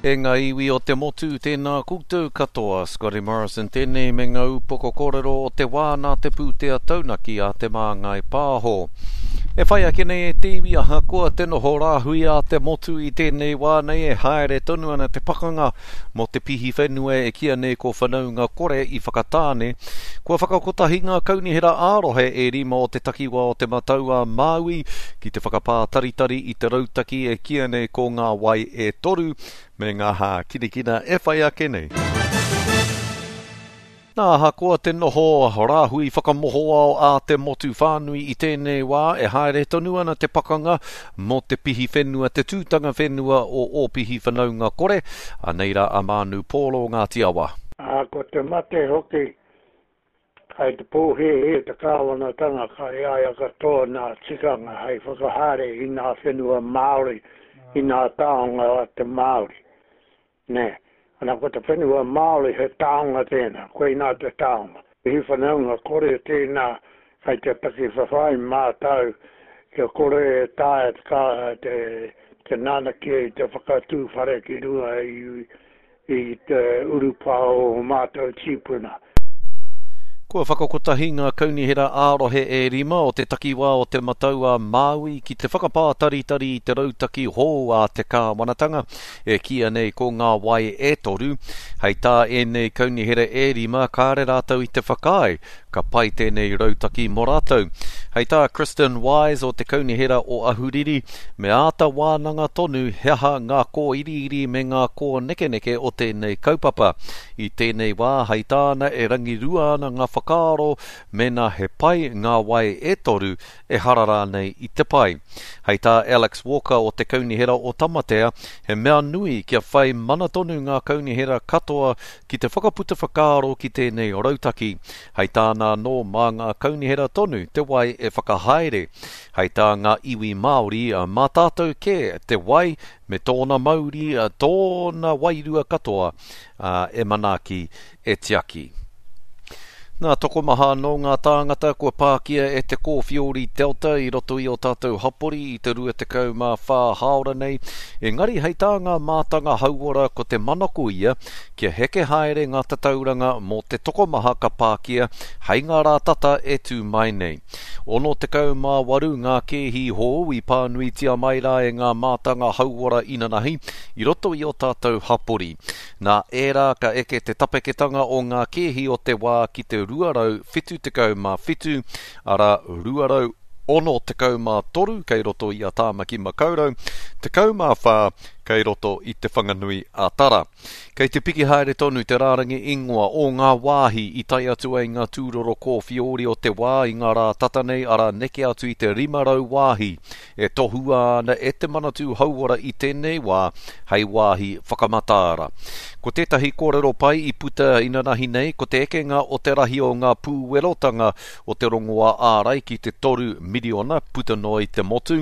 E ngā iwi o te motu, tēnā koutou katoa. Scotty Morrison tēnei me ngā upoko kōrero o te wā nā te pūtea taunaki a Te Māngai Pāho. E whai ake nei e te iwi ahakoa te noho rāhui a te motu i tēnei wā nei e haere tonu ana te pakanga mō te pihi whenua e kīa nei ko Whanaunga Kore i Whakatāne. Kua whakakotahi ngā kaunihera ā-rohe e rima o te takiwā o Te Matau-a-Māui ki te whakapātaritari i te rautaki e kīa nei ko Ngā Wai e Toru me ngā hākinakina e whai ake nei. Nā, ahakoa te noho rāhui whakamohoao a te motu whānui i tēnei wā, e haere tonu ana te pakanga mō te pihi whenua, te tūtanga whenua o Ōpihi Whanaunga Kore, anei rā a Mānu Pōro Ngāti Awa. Ā, ko te mate hoki, Kai te pōhēhē te kāwanatanga kai a ia katoa nā tikanga hei whakahaere i nā whenua Māori, i nā taonga a te Māori. Nē. Ana ko te whenua Māori he taonga tēnā, koinā te taonga. He whanaunga kore tēnā kai te taki whawhai mātau kia kore e taea te, te nanakia i te whakatū whare ki runga i i te urupā o ō mātou tīpuna. Kua whakakotahi ngā kaunihera ā-rohe e rima o te takiwā o Te Matau-a-Māui ki te whakapātaritari i te rautaki hou a te kāwanatanga, e kīia nei ko Ngā Wai e Toru. Hei tā ēnei kaunihera e rima, kāre rātou i te whakaae Ka pai tēnei rautaki mō rātou. Hei tā Kristen Wise o te Kaunihera o Ahuriri, me āta wānanga tonu he aha ngā kōiriiri me ngā kōnekeneke o tēnei kaupapa. I tēnei wā, hei tāna e rangirua ana ngā whakaaro mēnā he pai ngā wai e toru, ehara rānei i te pai. Hei tā Alex Walker o te Kaunihera o Tamatea, he mea nui kia whai mana tonu ngā kaunihera katoa ki te whakaputa whakaaro ki tēnei rautaki. Hei tāna anō, mā ngā kaunihera tonu te wai e whakahaere. Hei tā ngā iwi Māori, mā tātou kē te wai me tōna mauri, tōna wairua katoa, e manaaki, e tiaki. Nā, tokomaha anō ngā tāngata kua pākia e te kōwhiori Delta i roto i ō tātou hapori i te 24 hāora nei, engari hei tā ngā mātanga hauora ko te manako ia kia heke haere ngā tatauranga mō te tokomaha ka pākia hei ngā rā tata e tū mai nei. 68 ngā kēhi hou i pānuitia mai rā e ngā mātanga hauora inanahi i roto i ō tātou hapori. Nā ērā ka eke te tapeketanga o ngā kēhi o te wā ki te 277, arā, 263 kei roto i a Tāmaki Makaurau, 14 kei roto i Te Whanganui a Tara. Kei te piki haere tonu te rārangi ingoa o ngā wāhi i tae atu ai ngā tūroro kōwhiori o te wā i ngā rā tata nei, arā, neke atu i te 500 wāhi e tohua ana e te Manatū Hauora i tēnei wā hei wāhi whakamataara. Ko tētahi kōrero pai i puta inanahi nei ko te ekenga o te rahi o ngā pūwerotanga o te rongoā ārai ki te 3 miriona puta noa i te motu.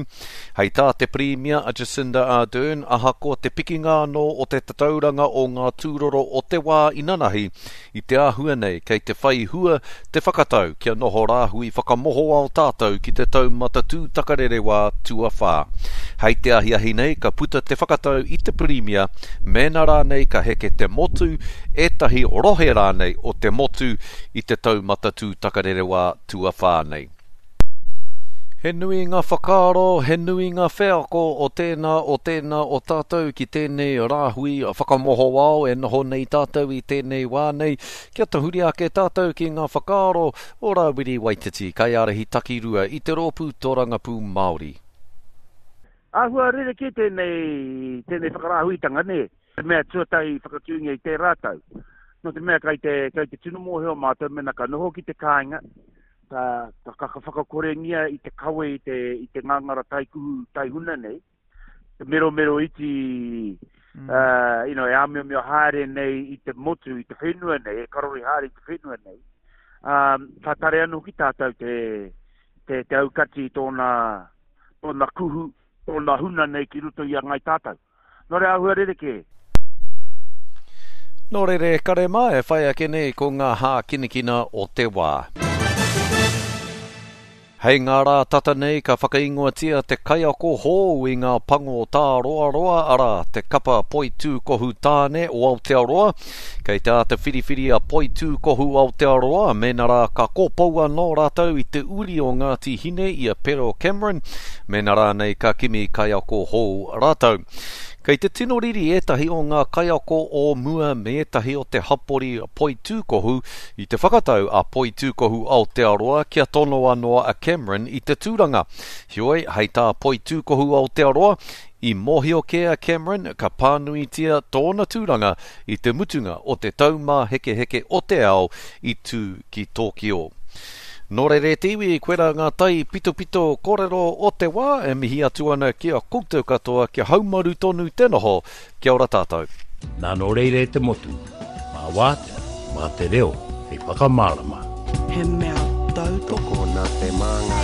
Hei tā te Pirimia a Jacinda Ardern, ahakoa te pikinga anō o te tatauranga o ngā tūroro o te wā inanahi, I te āhua nei, kei te whai hua te whakatau kia noho rāhui whakamohoao tātou ki te taumata tūtakarerewā tuawhā. Hei te ahiahi nei ka puta te whakatau i te Pirimia mēnā rānei ka heke te motu, ētahi rohe rānei o te motu i te taumata tūtakarerewā tuawhā nei. He nui ngā whakaaro, he nui ngā wheako o tēnā, o tēnā o tātou ki tēnei rāhui whakamohoao e noho nei tātou i tēnei wā nei, kia tahuri ake tātou ki ngā whakaaro o Rāwiri Waititi, kaiārahi takirua i te Rōpū Tōrangapū Māori. Āhua rerekē tēnei, tēnei whakarāhuitanga, nē? Te mea tuatahi i whakatūngia i tērā tau. Nō te mea kai te, kai te tino mōhio mātou mēnā ka noho ki te kāinga, ka, ka, ka whakakorengia i te kawe i te, i te ngangara taikuhu taihuna nei, te meromero iti, mm. uh, you know, e āmiomio haere nei i te motu, i te whenua nei, e karori haere i te whenua nei, um, ka tare anō ki tātou te, te, te aukati i tōna, tōna kuhu, tōna huna nei ki roto i a ngai tātou. Nō reira āhua rerekē. Nō reira e kare mā, e whai ake nei ko ngā hākinakina o te wā. Hei ngā rā tata nei ka whakaingoatia te kaiako hou i ngā pango tāroaroa, arā, te kapa poitūkohu tāne o Aotearoa. Kei te āta whiriwhiri a Poitūkohu Aotearoa mēnā rā ka kōpou anō rātou i te uri o Ngāti Hine i a Pero Cameron, mēnā rānei ka kimi kaiako hou rātou. Kei te tino riri ētahi o ngā kaiako o mua me ētahi o te hapori poitūkohu i te whakatau a Poitūkohu Aotearoa kia tonoa noa a Cameron i te tūranga. Heoi, hei tā Poitūkohu Aotearoa, i mōhio kē a Cameron ka pānuitia tōna tūranga i te mutunga o te Taumāhekeheke o te Ao i tū ki Tōkio. Nō reira e te iwi, koirā ngā tai pitopito kōrero o te wā e mihi atu ana ki a koutou katoa kia haumaru tonu te noho, kia ora tātou. Nā nō reira e te motu, mā wātea, mā te reo hei whakamārama. He mea tautoko. Tokona te māngai.